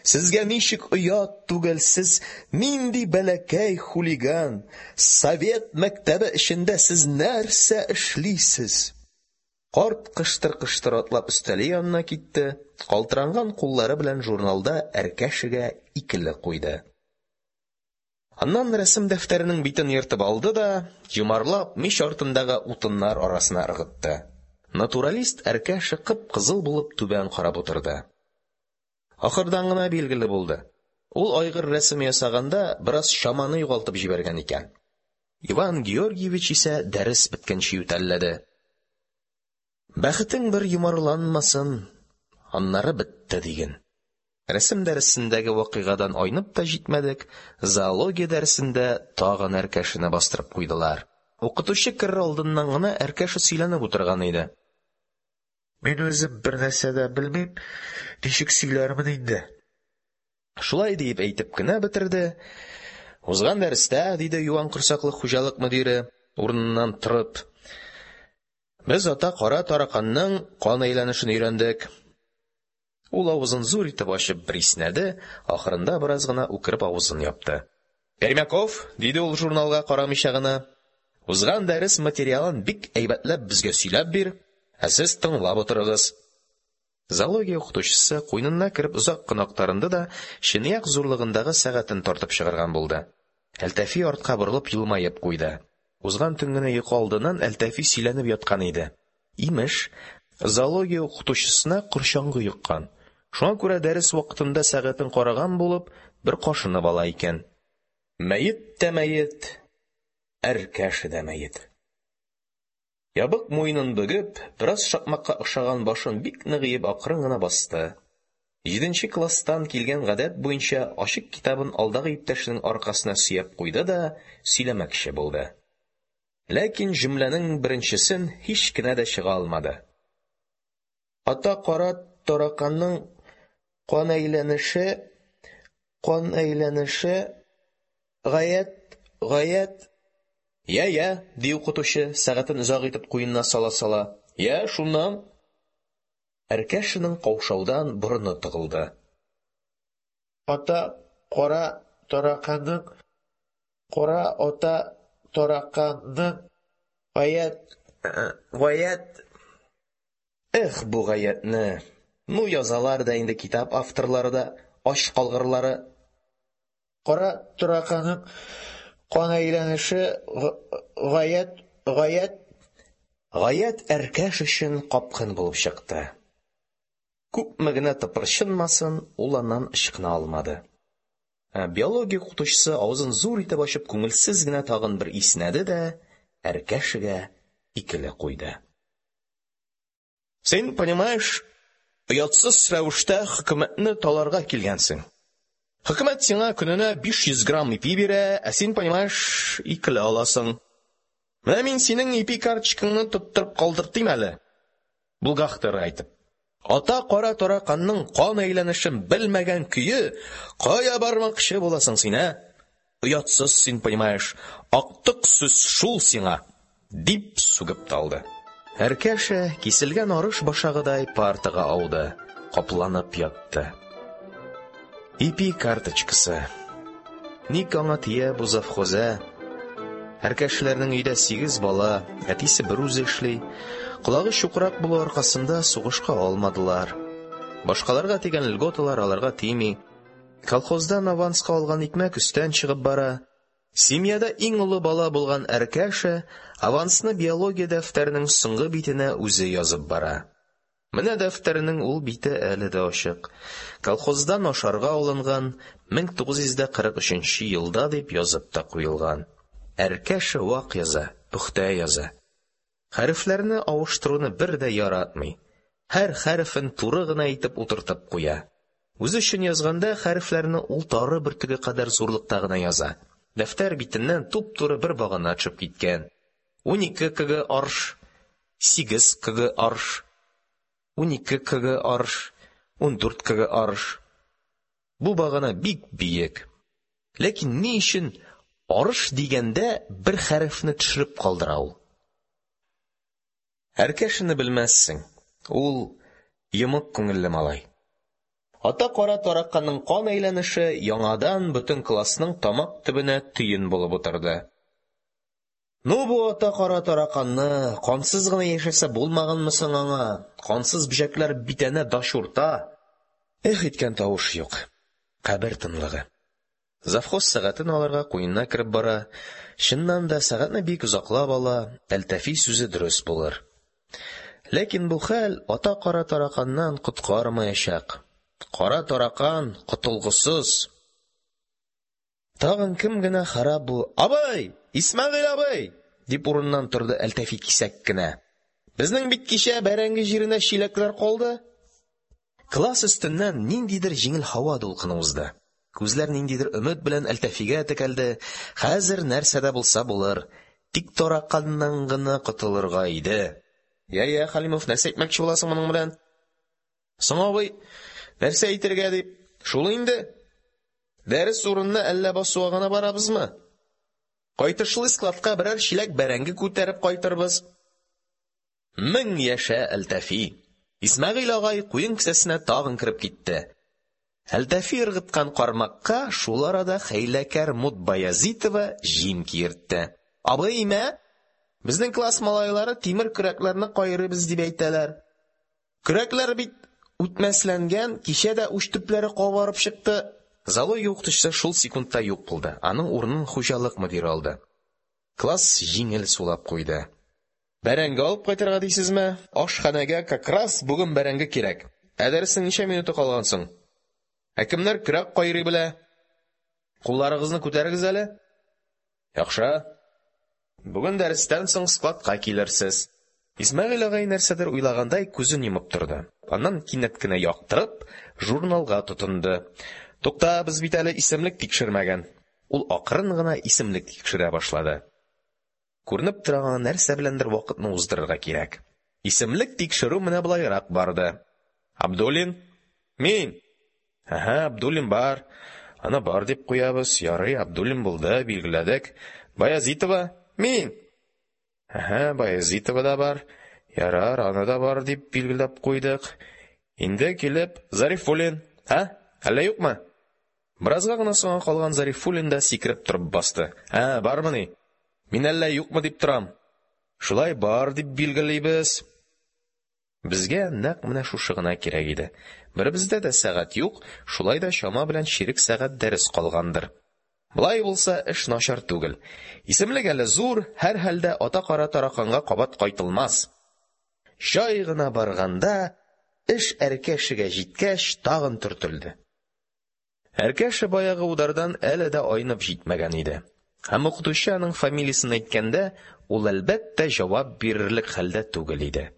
Сезгә ничек оят түгел, сез нинди бәләкәй хулиган, совет мәктәбе эчендә сез нәрсә эшлисез? Карт кыштыр-кыштыр атлап өстәле янына китте, калтыранган куллары белән журналда Әркәшәгә икеле куйды. Аннан рәсем дәфтәренең битен ертып алды да, йомарлап, мич артындагы утыннар арасына ыргытты. Натуралист Әркәшә кып-кызыл булып түбән карап утырды. Ахырдан гына билгеле булды. Ул айгыр рәсеме ясаганда бераз чаманы югалтып җибәргән икән. Иван Георгиевич исә дәрес беткәнче ютәлләде. Бәхетең бер йомарланмасын, аннары бетте диген. Рәсем дәресендәге вакыйгадан айнып та җитмәдек, зоология дәресендә тагын Әркәшәне бастырып куйдылар. Укытучы керер алдыннан гына Әркәшә сөйләнеп утырган иде. Мин үзем бер нәрсә дә белмим, ничек сөйләрмен инде. Шулай диеп әйтеп кенә бетерде. Узган дәрестә, диде юан корсаклы хуҗалык мөдире, урыныннан торып, без ата кара тараканның кан әйләнешен өйрәндек. Ул авызын зур итеп ачып бер иснәде, ахырында бераз гына үкереп авызын япты. Пермяков, диде ул журналга карамыйча гына, узган дәрес материалын бик әйбәтләп безгә сөйләп бир, ә сез тыңлап утырыгыз. Зоология укытучысы куенына кереп озак кына актарынды да чынаяк зурлыгындагы сәгатен тартып чыгарган булды. Әлтафи артка борылып елмаеп куйды. Узган төн генә йокы алдыннан Әлтафи сөйләнеп яткан иде. Имеш, зоология укытучысына корчаңгы йоккан. Шуңа күрә дәрес вакытында сәгатен караган булып, бер кашынып ала икән. Мәет тә мәет, Әркәшә дә мәет. Ябык муенын бөгеп, бераз шакмакка охшаган башын бик нык иеп акрын гына басты. Җиденче класстан килгән гадәт буенча ачык китабын алдагы иптәшенең аркасына сөяп куйды да сөйләмәкче булды. Ләкин җөмләнең беренчесен һич кенә дә чыга алмады. Ата кара тараканның кан әйләнеше, кан әйләнеше гаять, гаять. Я, я, ди укытучы, сәгатен озак итеп куенына сала-сала. Я, шуннан. Әркәшәнең каушаудан борыны тыгылды. Ата кара тараканның, кара ата тараканның гаять, гаять. Эх, бу гаятне. Ну язалар да инде китап авторлары да, ач калгырлары. Кара тараканның кан әйләнеше гаять, гаять. Гаять Әркәш өчен капкын булып чыкты. Күпме генә тыпырчынмасын, ул аннан ычкына алмады. Ә биология укытучысы авызын зур итеп ачып күңелсез генә тагын бер иснәде дә Әркәшәгә икеле куйды. Син, понимаешь, Оятсыз рәвештә хөкүмәтне таларга килгәнсең. Хөкүмәт сиңа көненә биш йөз грамм ипи бирә, ә син, понимаешь, икеле аласың. Менә мин синең ипи карточкаңны тоттырып калдыртыйм әле. Булгахтыр әйтеп. Ата кара тараканның кан әйләнешен белмәгән көе кая бармакчы буласың син, ә? Оятсыз син, понимаешь, актык сүз шул сиңа, дип сүгеп талды. Әркәшә киселгән арыш башагыдай партага ауды, капланып ятты. Ипи карточкасы. Ник аңа тия бу завхоз, ә? Әркәшәләрнең өйдә сигез бала, әтисе бер үзе эшли. Колагы чукрак булу аркасында сугышка алмадылар. Башкаларга тигән льготалар аларга тими. Колхоздан аванска алган икмәк өстән чыгып бара. Семьяда иң олы бала булган Әркәшә авансны биология дәфтәренең соңгы битенә үзе язып бара. Менә дәфтәренең ул бите әле дә ачык. Колхоздан ашарга алынган мең тугыз йөз дә кырык өченче елда дип язып та куелган. Әркәшә вак яза, пөхтә яза. Хәрефләрне авыштыруны бер дә яратмый. Һәр хәрефен туры гына итеп утыртып куя. Үзе өчен язганда хәрефләрне ул тары бөртеге кадәр зурлыкта гына яза. Дәфтәр битеннән туп-туры бер багана төшеп киткән. Унике кг арш, сигез кг арш, унике кг арш, ундүрт кг арш. Бу багана бик биек. Ләкин ни өчен арыш дигәндә бер хәрефне төшереп калдыра ул? Әркәшәне белмәссең. Ул йомык күңелле малай. Ата кара тараканның кан әйләнеше яңадан бөтен классның тамак төбенә төен булып утырды. Ну бу ата кара тараканны кансыз гына яшәсә булмаганмы соң аңа? Кансыз бөҗәкләр битәнә дашурта. Эх иткән тавыш юк. Кабер тынлыгы. Завхоз сәгатен алырга куенына кереп бара. Чыннан да сәгатьне бик озаклап ала, Әлтәфи сүзе дөрес булыр. Ләкин бу хәл ата кара тараканнан коткармаячак. Кара таракан котылгысыз. Тагын кем генә харап бу? Абый! Исмәгыйль абый! Дип урыннан торды Әлтәфи кисәк кенә. Безнең бит кичә бәрәңге җиренә чиләкләр калды. Класс өстеннән ниндидер җиңел һава дулкыны узды. Күзләр ниндидер өмет белән Әлтәфигә текәлде. Хәзер нәрсә дә булса булыр. Тик тараканнан гына котылырга иде. Я-я, Халимов, нәрсә әйтмәкче буласың моның белән? Соң абый, нәрсә әйтергә дип? Шул инде. Дәрес урынына әллә басуга гына барабызмы? Кайтышлы складка берәр чиләк бәрәңге күтәреп кайтырбыз. Мең яшә, Әлтәфи. Исмәгыйль агай куен кесәсенә тагын кереп китте. Әлтәфи ыргыткан кармакка шул арада хәйләкәр Мут Баязитова җим киертте. Абый, мә? Безнең класс малайлары тимер көрәкләрне кайрыйбыз дип әйтәләр. Көрәкләр бит үтмәсләнгән, кичә дә уч төпләре кабарып чыкты. Зоология укытучысы шул секундта юк булды. Аның урынын хуҗалык мөдире алды. Класс җиңел сулап куйды. Бәрәңге алып кайтырга дисезме? Ашханәгә как раз бүген бәрәңге кирәк. Ә дәреснең ничә минуты калган соң? Ә кемнәр көрәк кайрый белә? Кулларыгызны күтәрегез әле. Яхшы. Бүген дәрестән соң складка килерсез. Исмәгыйль агай нәрсәдер уйлагандай күзен йомып торды. Аннан кинәт кенә яктырып, журналга тотынды. Тукта, без бит әле исемлек тикшермәгән. Ул акрын гына исемлек тикшерә башлады. Күренеп торган нәрсә беләндер вакытны уздырырга кирәк. Исемлек тикшерү менә болайрак барды. Абдуллин? Мин. Аһа, Абдуллин бар. Аны бар дип куябыз. Ярый, Абдуллин булды, билгеләдек. Баязитова? Мин. Аһа, Баязитова да бар. Ярар, аны да бар дип билгеләп куйдык. Инде килеп Зарифуллин. Һа? Әллә юкмы? Беразга гына соңга калган Зарифуллин да сикереп торып басты. Ә, бармыни? Мин әллә юкмы дип торам. Шулай бар дип билгелибез. Безгә нәкъ менә шушы гына кирәк иде. Беребездә дә сәгать юк, шулай да чама белән чирек сәгать дәрес калгандыр. Болай булса эш начар түгел. Исемлек әле зур, һәр хәлдә ата кара тараканга кабат кайтылмас. Җай гына барганда, эш Әркәшәгә җиткәч тагын төртелде. Әркәшә баягы удардан әле дә айнып җитмәгән иде. Һәм укытучы аның фамилиясын әйткәндә, ул әлбәттә җавап бирерлек хәлдә түгел иде.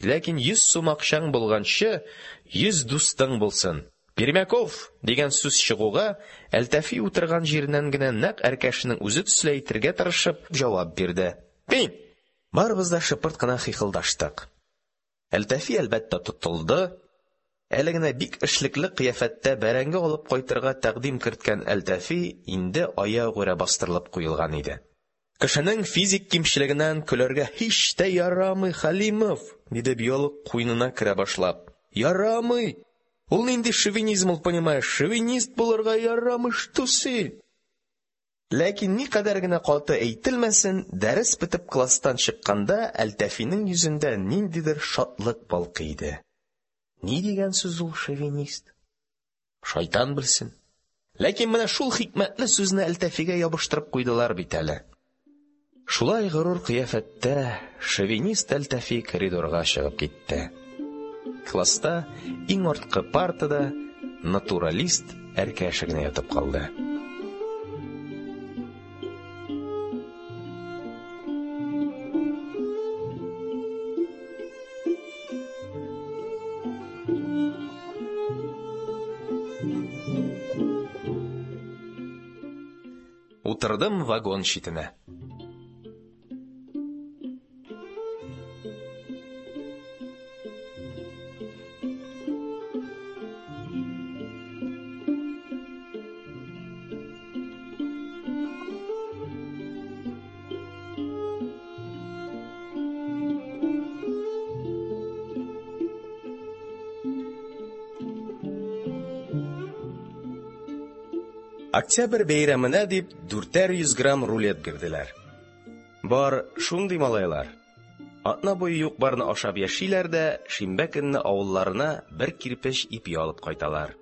Ләкин йөз сум акчаң булганчы, йөз дустың булсын. Пермяков дигән сүз чыгуга, Әлтафи утырган җиреннән генә нәкъ Әркәшәнең үзе төсле әйтергә тырышып җавап бирде: Мин! Барыбыз да шыпырт кына хихылдаштык. Әлтафи, әлбәттә, тотылды. Әле генә бик эшлекле кыяфәттә бәрәңге алып кайтырга тәкъдим керткән Әлтафи инде аягүрә бастырылып куелган иде. Кешенең физик кимчелегеннән көләргә һич тә ярамый, Хәлимов, диде биолог, куенына керә башлап. Ярамый. Ул нинди шовинизм ул, понимаешь? Шовинист булырга ярамый, что син? Ләкин никадәр генә каты әйтелмәсен, дәрес бетеп класстан чыкканда Әлтафиның йөзендә ниндидер шатлык балкый иде. Ни дигән сүз ул шовинист? Шайтан белсен. Ләкин менә шул хикмәтле сүзне Әлтафига ябыштырып куйдылар бит әле. Шулай горур кыяфәттә шовинист Әлтафи коридорга чыгып китте. Класста иң арткы партада натуралист Әркәшә генә ятып калды. Утырдым вагон читенә. Октябрь бәйрәменә дип дүртәр йөз грамм рулет бирделәр. Бар шундый малайлар. Атна буе юк-барны ашап яшиләр дә, шимбә көнне авылларына бер кирпеч ипи алып кайталар.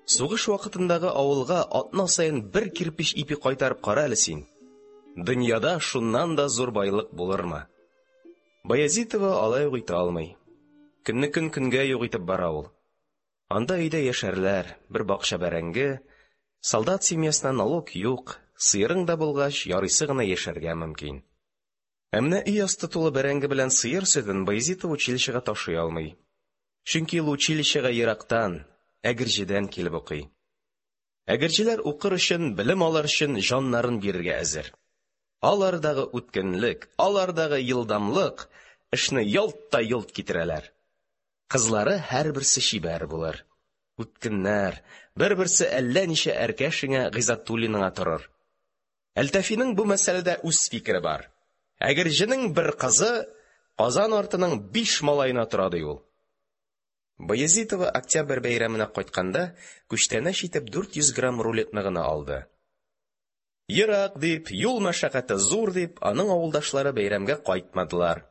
Сугыш вакытындагы авылга атна саен бер кирпеч ипи кайтарып кара әле син. Дөньяда шуннан да зур байлык булырмы? Баязитова алай ук итә алмый. Көнне көн көнгә юк итеп бара ул. Анда өйдә яшәрләр, бер бакча бәрәңге, солдат семьясына налог юк, сыерың да булгач, ярыйсы гына яшәргә мөмкин. Ә менә өй асты тулы бәрәңге белән сыер сөтен Баязитова училищега ташый алмый. Чөнки ул училищега ерактан, Әгерҗедән килеп укый. Әгерҗеләр укыр өчен, белем алыр өчен җаннарын бирергә әзер. Алардагы үткенлек, алардагы елдамлык эшне ялт та йолт китерәләр. Кызлары һәрберсе чибәр булыр. Үткеннәр, бер-берсе әллә ничә Әркәшеңә, Гыйззәтуллиныңа торыр. Әлтафиның бу мәсьәләдә үз фикере бар. Әгерҗенең бер кызы Казан артының биш малаена тора, ди ул. Баязитова октябрь бәйрәменә кайтканда күчтәнәч итеп дүрт йөз грамм рулетны гына алды. Ерак дип, юл мәшәкате зур дип, аның авылдашлары бәйрәмгә кайтмадылар.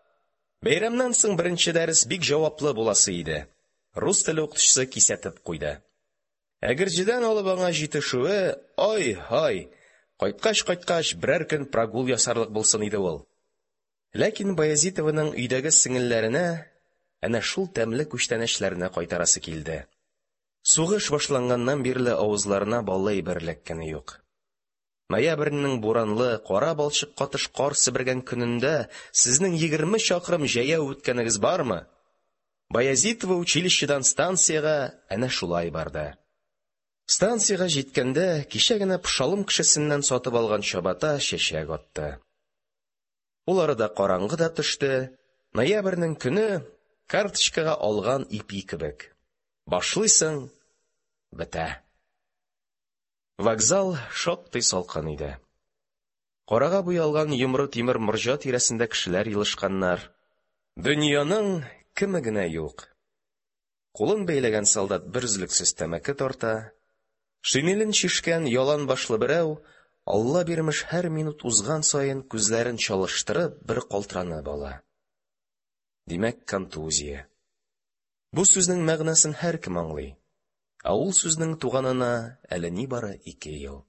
Бәйрәмнән соң беренче дәрес бик җаваплы буласы иде. Рус теле укытучысы кисәтеп куйды. Әгерҗедән алып аңа җитешүе, ай-һай, кайткач-кайткач берәр көн прогул ясарлык булсын иде ул. Ләкин Баязитованың өйдәге сеңелләренә әнә шул тәмле күчтәнәчләрне кайтарасы килде. Сугыш башланганнан бирле авызларына баллы әйбер эләккәне юк. Ноябрьнең буранлы, кара балчык катыш кар себергән көнендә сезнең егерме чакрым җәяү үткәнегез бармы? Баязитова училищедан станциягә әнә шулай барды. Станциягә җиткәндә кичә генә Пошалым кешесеннән сатып алган чабата чәчәк атты. Ул арада караңгы да төште. Ноябрьнең көне карточкага алган ипи кебек. Башлыйсың, бетә. Вокзал шактый салкын иде. Карага буялган йомры тимер морҗа тирәсендә кешеләр елышканнар. Дөньяның кеме генә юк. Кулын бәйләгән солдат бер өзлексез тәмәке тарта. Шинелен чишкән ялан башлы берәү, Алла бирмеш һәр минут узган саен күзләрен чалыштырып бер калтыранып ала. Димәк, контузия. Бу сүзнең мәгънәсен һәркем аңлый. Ә ул сүзнең туганына әле нибары ике ел.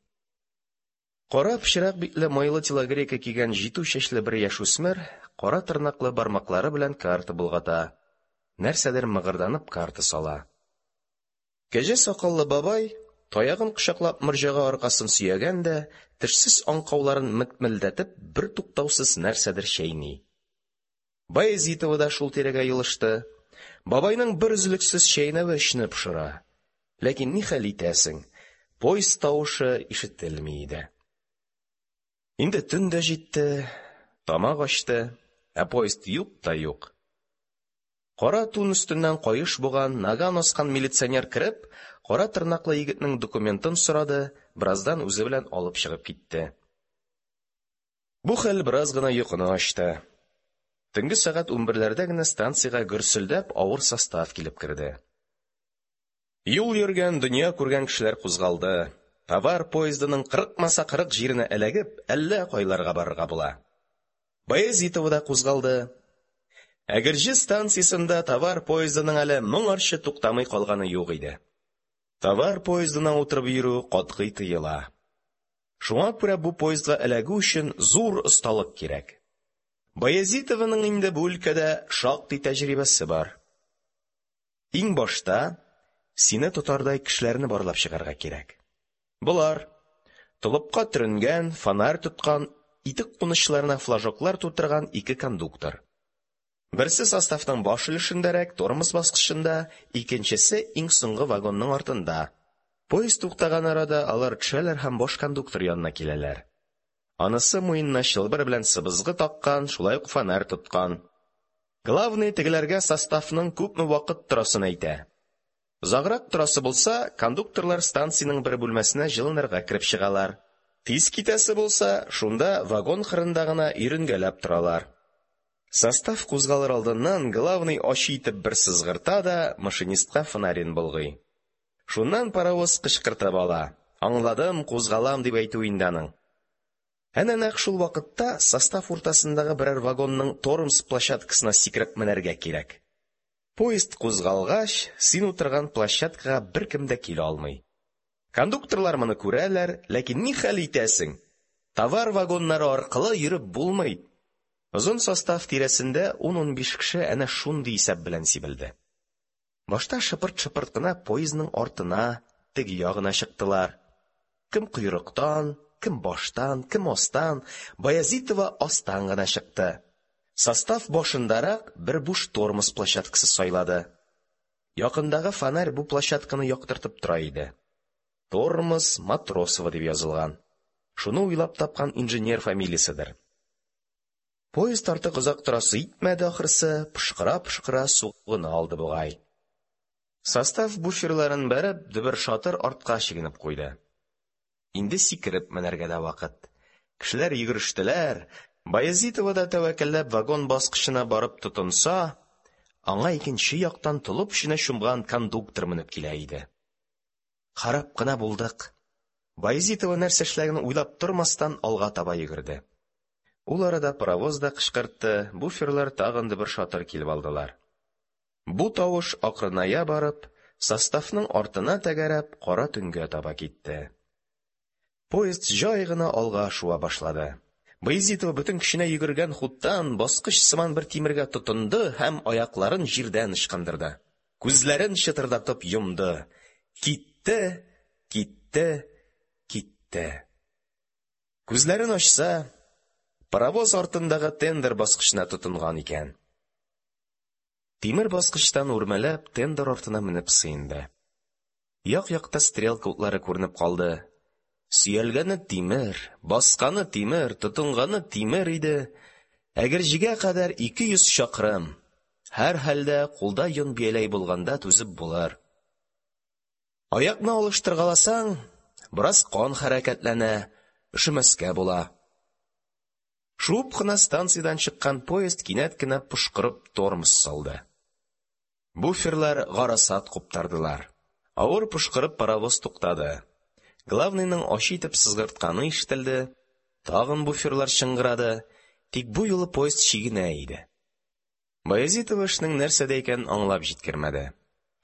Кара пычрак битле майлы телогрейка кигән җитү чәчле бер яшүсмер кара тырнаклы бармаклары белән карта болгата. Нәрсәдер мыгырданып карта сала. Кәҗә сакаллы бабай таягын кочаклап морҗага аркасын сөягән дә, тешсез аңкауларын метмелдәтеп бер туктаусыз нәрсәдер чәйни. Баязитова да шул тирәгә елышты. Бабайның бер өзлексез чәйнәве эчне пошыра. Ләкин ни хәл итәсең, поезд тавышы ишетелми иде. Инде төн дә җитте, тамак ачты, ә поезд юк та юк. Кара тун өстеннән каеш буган, наган аскан милиционер кереп, кара тырнаклы егетнең документын сорады, бераздан үзе белән алып чыгып китте. Бу хәл бераз гына йокыны ачты. Төнге сәгать унберләрдә генә станциягә гөрселдәп авыр состав килеп керде. Юл йөргән, дөнья күргән кешеләр кузгалды. Товар поездының кырыкмаса кырык җиренә эләгеп, әллә кайларга барырга була. Баязитова да кузгалды. Әгерҗе станциясендә товар поездының әле моңарчы туктамый калганы юк иде. Товар поездына утырып йөрү катгый тыела. Шуңа күрә бу поездга эләгү өчен зур осталык кирәк. Баязитованың инде бу өлкәдә шактый тәҗрибәсе бар. Иң башта сине тотардай кешеләрне барлап чыгарга кирәк. Болар толыпка төренгән, фонарь тоткан, итек кунычларына флажоклар тутырган ике кондуктор. Берсе составның баш өлешендәрәк, тормоз баскычында, икенчесе иң соңгы вагонның артында. Поезд туктаган арада алар төшәләр һәм баш кондуктор янына киләләр. Анысы муенына чылбыр белән сыбызгы таккан, шулай ук фонарь тоткан. Главный тегеләргә составның күпме вакыт торасын әйтә. Озаграк торасы булса, кондукторлар станциянең бер бүлмәсенә җылынырга кереп чыгалар. Тиз китәсе булса, шунда вагон кырында гына йөренгәләп торалар. Состав кузгалыр алдыннан главный ачы итеп бер сызгырта да машинистка фонарен болгый. Шуннан паровоз кычкыртып ала. Аңладым, кузгалам дип әйтү инде аның. Әнә нәкъ шул вакытта состав уртасындагы берәр вагонның тормоз площадкасына сикереп менәргә кирәк. Поезд кузгалгач, син утырган площадкага беркем дә килә алмый. Кондукторлар моны күрәләр, ләкин ни хәл итәсең? Товар вагоннары аркылы йөреп булмый. Озын состав тирәсендә ун-унбиш кеше әнә шундый исәп белән сибелде. Башта шыпырт-шыпырт кына поездның артына, теге ягына чыктылар. Кем койрыктан, кем баштан, кем астан, Баязитова астан гына чыкты. Состав башындарак бер буш тормоз площадкасы сайлады. Якындагы фонарь бу площадканы яктыртып тора иде. Тормоз Матросова дип язылган. Шуны уйлап тапкан инженер фамилияседер. Поезд артык озак торасы итмәде ахрысы, пышкыра-пышкыра сугына алды бугай. Состав буферларын бәреп, дөбер-шатыр артка чигенеп куйды. Инде сикереп менәргә дә вакыт. Кешеләр йөгерештеләр. Баязитова да тәвәккәлләп вагон баскычына барып тотынса, аңа икенче яктан толып эченә чумган кондуктор менеп килә иде. Харап кына булдык. Баязитова нәрсә эшләгәнен уйлап тормастан алга таба йөгерде. Ул арада паровоз да кычкыртты, буферлар тагын дөбер-шатыр килеп алдылар. Бу тавыш акрыная барып, составның артына тәгәрәп, кара төнгә таба китте. Поезд җай гына алга шуа башлады. Баязитова бөтен көченә йөгергән хуттан баскыч сыман бер тимергә тотынды һәм аякларын җирдән ычкындырды. Күзләрен чытырдатып йомды. Китте, китте, китте. Күзләрен ачса, паровоз артындагы тендер баскычына тотынган икән. Тимер баскычтан үрмәләп тендер артына менеп сыенды. Як-якта стрелка утлары күренеп калды. Сөялгәне тимер, басканы тимер, тотынганы тимер иде. Әгерҗегә кадәр ике йөз чакрым. Һәр хәлдә кулда йон бияләй булганда түзеп булыр. Аякны алыштыргаласаң, бераз кан хәрәкәтләнә, өшемәскә була. Шуып кына станциядән чыккан поезд кинәт кенә пошкырып тормоз салды. Буферлар гарасат куптардылар. Авыр пошкырып паровоз туктады. Главныйның ачы итеп сызгыртканы ишетелде. Тагын буферлар чыңгырады. Тик бу юлы поезд чигенә иде. Баязитова эшнең нәрсәдә икәнен аңлап җиткермәде.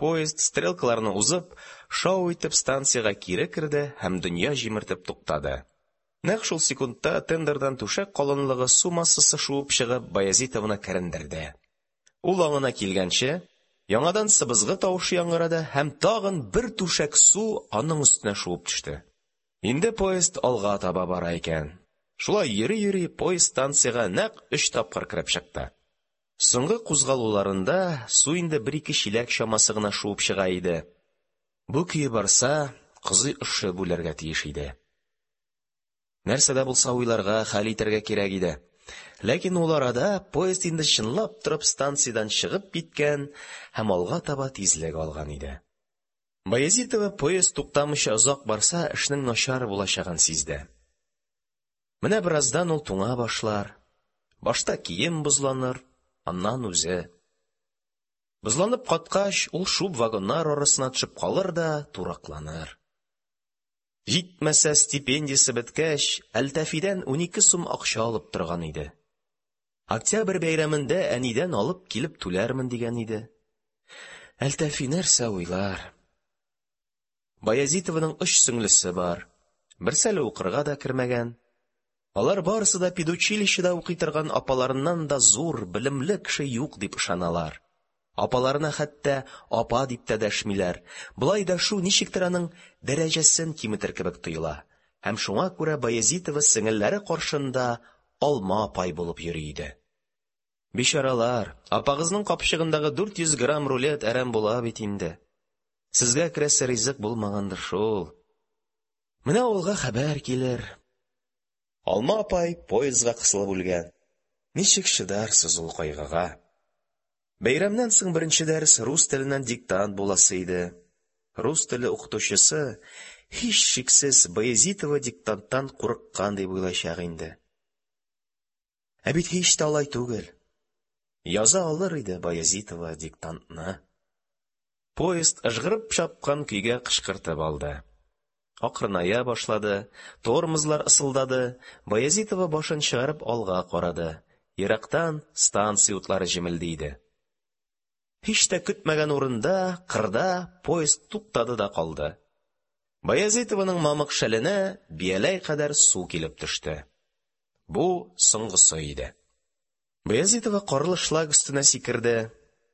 Поезд стрелкаларны узып, шау итеп станциягә кире керде һәм дөнья җимертеп туктады. Нәкъ шул секундта тендердан түшәк калынлыгы су массасы шуып чыгып Баязитованы керендерде. Ул аңына килгәнче, яңадан сыбызгы тавышы яңгырады һәм тагын бер түшәк су аның өстенә шуып төште. Инде поезд алга таба бара икән. Шулай йөри-йөри поезд станциягә нәкъ өч тапкыр кереп чыкты. Соңгы кузгалуларында су инде бер-ике чиләк чамасы гына шуып чыга иде. Бу көе барса, кызый өшеп үләргә тиеш иде. Нәрсә дә булса уйларга, хәл итәргә кирәк иде. Ләкин ул арада поезд инде чынлап торып станциядән чыгып киткән һәм алга таба тизлек алган иде. Баязитова поезд туктамыйча озак барса, эшнең начар булачагын сизде. Менә бераздан ул туңа башлар. Башта кием бозланыр, аннан үзе. Бозланып каткач, ул шуып вагоннар арасына төшеп калыр да туракланыр. Җитмәсә, стипендиясе беткәч, Әлтафидан унике сум акча алып торган иде. Октябрь бәйрәмендә әнидән алып килеп түләрмен дигән иде. Әлтафи нәрсә уйлар? Баязитованың өч сеңлесе бар. Берсе әле укырга да кермәгән. Алар барысы да педучилищеда укый торган апаларыннан да зур, белемле кеше юк дип ышаналар. Апаларына хәтта апа дип тә дәшмиләр. Болай дәшү ничектер аның дәрәҗәсен киметер кебек тоела. Һәм шуңа күрә Баязитова сеңелләре каршында алма апай булып йөри иде. Бичаралар, апагызның капчыгындагы дүрт йөз грамм рулет әрәм була бит инде. Сезгә керәсе ризык булмагандыр шул. Менә авылга хәбәр килер. Алма апай поездга кысылып үлгән. Ничек чыдарсыз ул кайгыга? Бәйрәмнән соң беренче дәрес рус теленнән диктант буласы иде. Рус теле укытучысы һичшиксез Баязитова диктанттан курыккан дип уйлаячак инде. Ә бит һич тә алай түгел. Яза алыр иде Баязитова диктантны. Поезд ыжгырып чапкан көйгә кычкыртып алды. Акрыная башлады, тормозлар ысылдады. Баязитова башын чыгарып алга карады. Ерактан станция утлары җемелди иде. Һич тә көтмәгән урында, кырда поезд туктады да калды. Баязитованың мамык шәленә бияләй кадәр су килеп төште. Бу соңгысы иде. Баязитова карлы шлак өстенә сикерде.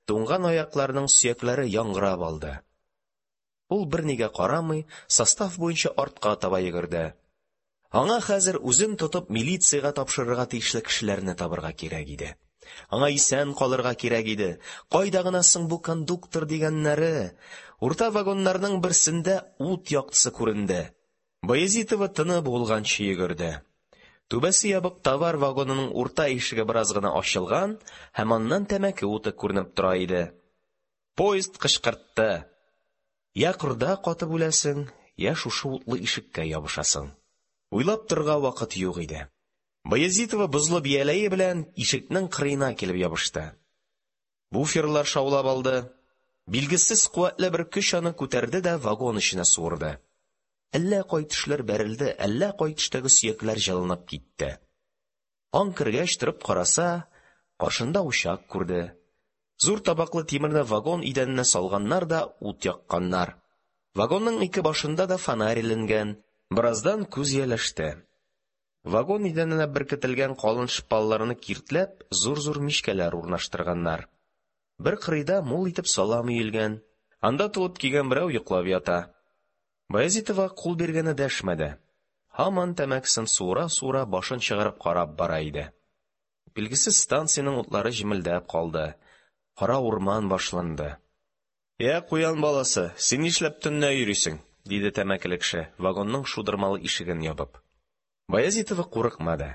Туңган аякларының сөякләре яңгырап алды. Ул бернигә карамый, состав буенча артка таба йөгерде. Аңа хәзер үзен тотып милициягә тапшырырга тиешле кешеләрне табырга кирәк иде. Аңа исән калырга кирәк иде. Кайда гына соң бу кондуктор дигәннәре? Урта вагоннарның берсендә ут яктысы күренде. Баязитова тыны буылганчы йөгерде. Түбәсе ябык товар вагонының урта ишеге бераз гына ачылган һәм аннан тәмәке уты күренеп тора иде. Поезд кычкыртты. Я кырда катып үләсең, я шушы утлы ишеккә ябышасың. Уйлап торырга вакыт юк иде. Баязитова бозлы бияләе белән ишекнең кырыена килеп ябышты. Буферлар шаулап алды. Билгесез куәтле бер көч аны күтәрде дә вагон эченә суырды. Әллә кай төшләр бәрелде, әллә кай төштәге сөякләр җылынып китте. Аң кергәч торып караса, каршында учак күрде. Зур табаклы тимерне вагон идәненә салганнар да ут якканнар. Вагонның ике башында да фонарь эленгән. Бераздан күз ияләште. Вагон идәненә беркетелгән калын шпалларны киртләп, зур-зур мичкәләр урнаштырганнар. Бер кырыйда мул итеп салам өелгән. Анда тулып кигән берәү йоклап ята. Баязитова кул биргәне дәшмәде. Һаман тәмәкесен суыра-суыра башын чыгарып карап бара иде. Билгесез станциянең утлары җемелдәп калды. Кара урман башланды. «Я, куян баласы, син нишләп төнлә йөрисең?» – диде тәмәкеле кеше, вагонның шудырмалы ишеген ябып. Баязитова курыкмады.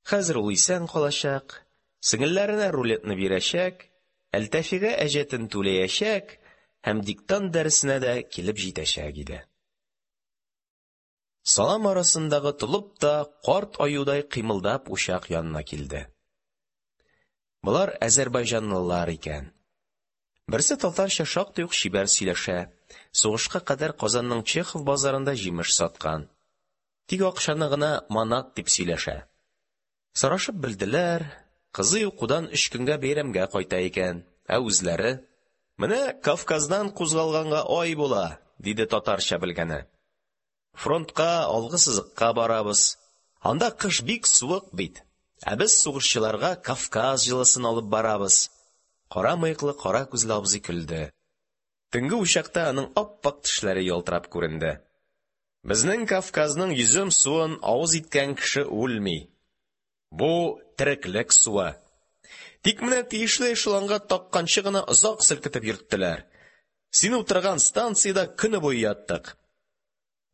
Хәзер ул исән калачак, сеңелләренә рулетны бирәчәк, Әлтафига әҗәтен түләячәк һәм диктант дәресенә дә килеп җитәчәк иде. Салам арасындагы толып та карт аюдай кыймылдап учак янына килде. Болар азәрбайҗанлылар икән. Берсе татарча шактый ук чибәр сөйләшә. Сугышка кадәр Казанның Чехов базарында җимеш саткан. Тик акчаны гына манат дип сөйләшә. Сорашып белделәр, кызы укудан өч көнгә бәйрәмгә кайта икән, ә үзләре: «Менә Кавказдан кузгалганга ай була», – диде татарча белгәне. «Фронтка, алгы сызыкка барабыз. Анда кыш бик суык бит. Ә без сугышчыларга Кавказ җылысын алып барабыз». Кара мыеклы, кара күзле абзый көлде. Төнге учакта аның ап-ак тешләре ялтырап күренде. «Безнең Кавказның йөзем суын авыз иткән кеше үлми. Бу тереклек суы. Тик менә тиешле эшелонга такканчы гына озак селкетеп йөрттеләр. Син утырган станциядә көне буе яттык.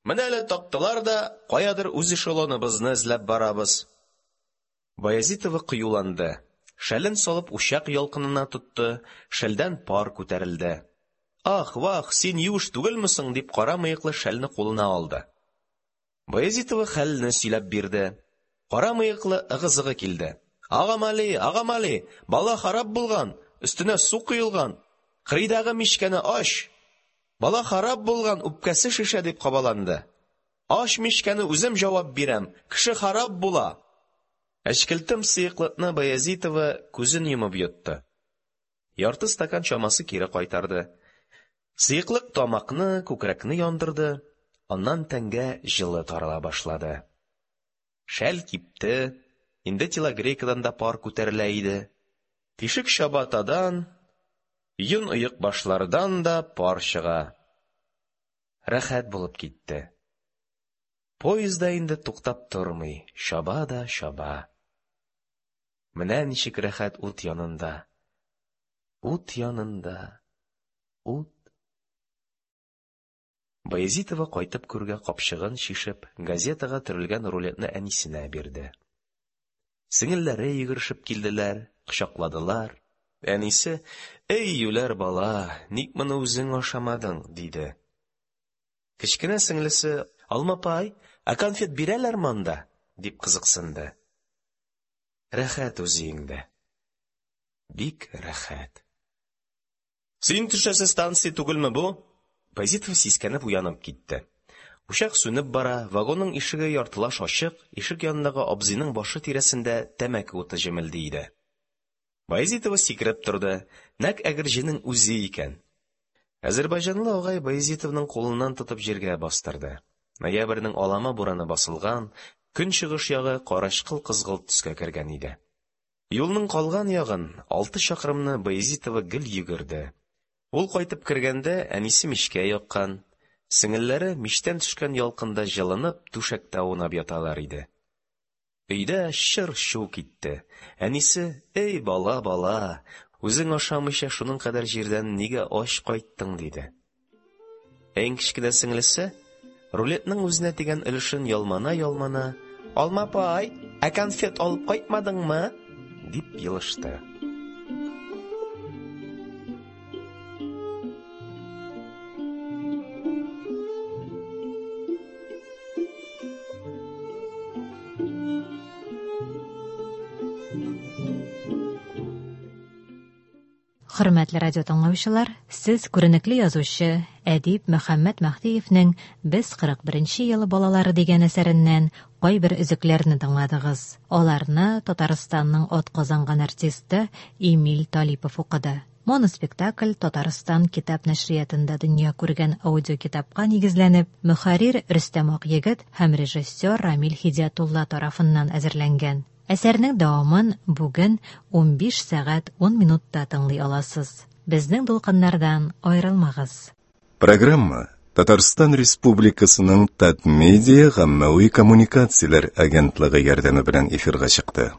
Менә әле тактылар да, каядыр үз эшелоныбызны эзләп барабыз. Баязитова кыюланды. Шәлен салып учак ялкынына тотты, шәлдән пар күтәрелде. Ах, вах, син юеш түгелме соң, дип кара мыеклы шәлне кулына алды. Баязитова хәлне сөйләп бирде. Кара мыеклы ыгы-зыгы килде. Агамали, Агамали, бала харап булган, өстенә су коелган. Кырыйдагы мичкәне ач. Бала харап булган, үпкәсе шешә, дип кабаланды. Ач мичкәне, үзем җавап бирәм. Кеше харап була. Әчкелтем сыеклыкны Баязитова күзен йомып йотты. Ярты стакан чамасы кире кайтарды. Сыеклык тамакны, күкрәкне яндырды, аннан тәнгә җылы тарала башлады. Шәл кипте, инде телогрейкадан да пар күтәрелә иде. Тишек чабатадан, йон оек башлардан да пар чыга. Рәхәт булып китте. Поезд да инде туктап тормый, чаба да чаба. Менә ничек рәхәт ут янында. Ут янында. Ут. Баязитова кайтып күргә капчыгын чишеп, газетага төрелгән рулетны әнисенә бирде. Сеңелләре йөгерешеп килделәр, кочакладылар. Әнисе: "Эй, юләр бала, ник моны үзең ашамадың?" диде. Кечкенә сеңлесе: "Алма апай, ә конфет бирәләрме анда?" дип кызыксынды. Рәхәт үз өеңдә. Бик рәхәт. Син төшәсе станция түгелме бу? Баязитова сискәнеп уянып китте. Учак сүнеп бара, вагонның ишеге яртылаш ачык, ишек янындагы абзыйның башы тирәсендә тәмәке уты җемелди иде. Баязитова сикереп торды. Нәкъ Әгерҗенең үзе икән. Азәрбайҗанлы агай Баязитованың кулыннан тотып җиргә бастырды. Ноябрьнең алама бураны басылган, көнчыгыш ягы карачкыл кызгылт төскә кергән иде. Юлның калган ягын, алты чакрымны, Баязитова гел йөгерде. Ул кайтып кергәндә әнисе мичкә яккан, сеңелләре мичтән төшкән ялкында җылынып түшәктә аунап яталар иде. Өйдә чыр-чу китте. Әнисе: "Эй, бала, бала, үзең ашамыйча шуның кадәр җирдән нигә ач кайттың?" диде. Иң кечкенә сеңлесе рулетның үзенә тигән өлешен ялмана-ялмана: "Алма апай, ә конфет алып кайтмадыңмы?" дип елышты. Хөрмәтле радио тыңлаучылар, сез күренекле язучы әдип Мөхәммәт Мәһдиевнең Без кырык беренче ел балалары дигән әсәреннән кайбер өзекләрне тыңладыгыз. Аларны Татарстанның атказанган артисты Эмиль Талипов укыды. Моноспектакль Татарстан китап нәшриятында дөнья күргән аудиокитапка нигезләнеп, мөхәррир Рөстәм Акъегет һәм режиссер Рамил Һидиятулла тарафыннан әзерләнгән. Әсәрнең дәвамын бүген унбиш сәгать ун минутта тыңлый аласыз. Безнең дулкыннардан аерылмагыз. Программа Татарстан Республикасының Татмедиа гаммәви коммуникацияләр агентлыгы ярдәме белән эфирга чыкты.